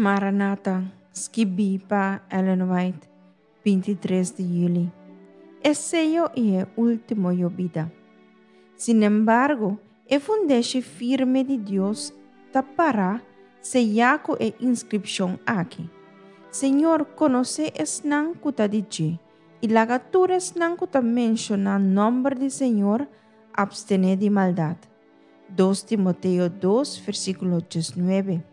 Maranata, skibí pa Ellen White, 23 di yüli. E seyo i e último yobida. Sinembargo, e fundeshi firme di Dios ta pará seyá ku e inskripshon aki, Señor konosé esnan ku ta di dje, i laga tur esnan ku ta menshoná nòmber di Señor apstené di maldat. 2 Timoteo 2, versíkulo 19.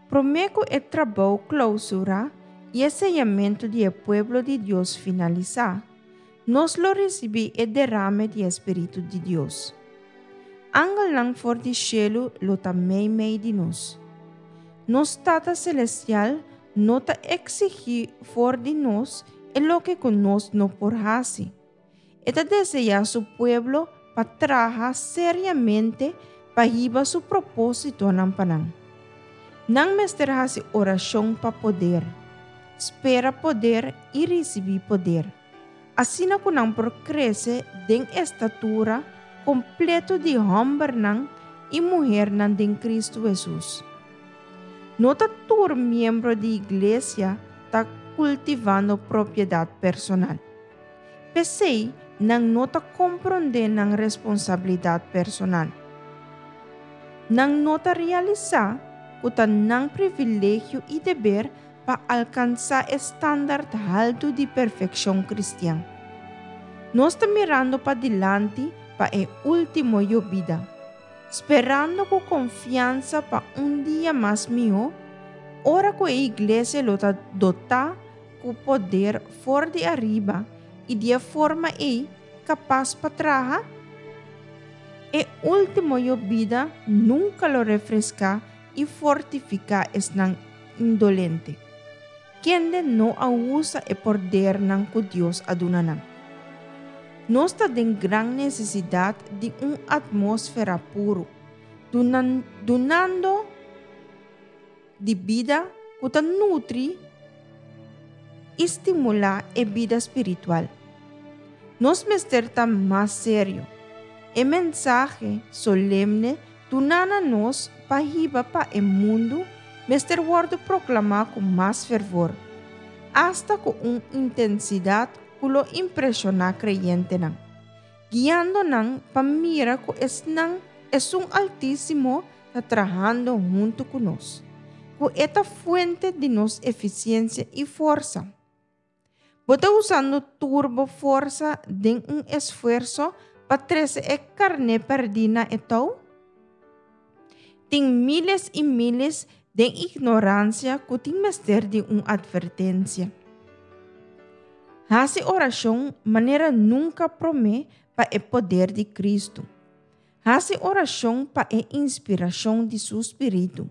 Promé ku e trabou klousurá i e seyamentu di e pueblo di Dios finalisá, nos lo risibí e derame di e spiritu di Dios. Angelnan for di shelu lo ta meimei di nos. Nos Tata Selestial no ta eksigí for di nos e loke ku nos no por hasi. E ta deseá su pueblo pa traha seriamente pa hiba su propósitonan pa nan. Nan mester hasi orashon pa poder, spera poder i risibí poder, asina ku nan por krese den estatura kompleto di hòmbernan i muhernan den Kristu Hesus. No ta tur miembro di iglesia ta kultivando propiedat personal. P'esei nan no ta komprondé nan responsabilidat personal. Nan no ta realisá ku ta nan privilegio i deber pa alkansá e standard haltu di perfekshon kristian. Nos ta mirando padilanti pa e último yobida, sperando ku konfiansa pa un dia mas mihó, ora ku e iglesia lo ta dotá ku poder for di ariba i di e forma ei kapas pa traha? E último yobida nunka lo refreská i fortifiká esnan indolente, kende no a usa e pordernan ku Dios a duna nan. Nos ta den gran nesesidat di un atmósfera puru, dunando di bida ku ta nutri i stimulá e bida spiritual. Nos mester ta mas serio. E mensahe solemne duná na nos pa hiba pa e mundu mester wòrdu proklamá ku mas fervor, asta ku un intensidat ku lo impreshoná kreyentenan, guiando nan pa mira ku esnan Esun Altísimo ta trahando huntu ku nos, ku e ta fuente di nos efisiensia i forsa. Bo ta usando tur bo forsa den un esfuerso pa trese e karné pèrdí na e tou? Tin míles i míles den ignoransia ku tin mester di un atvertensia. Hasi orashon manera nunka promé pa e poder di Kristu. Hasi orashon pa e inspirashon di su spiritu.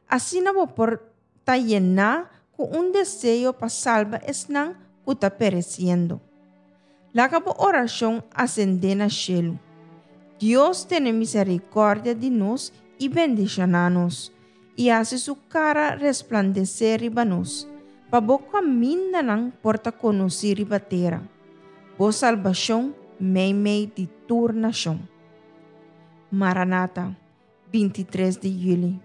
Asina bo por ta yená ku un deseo pa salba esnan ku ta peresiendo. Laga bo orashon asendé na shelu. Dios tene miserikòrdia di nos i bendishoná nos, i hasi su kara resplandesé riba nos, pa bo kamindanan por ta konosí riba tera. Bo salbashon meimei di tur nashon. Maranata, 23 di yüli.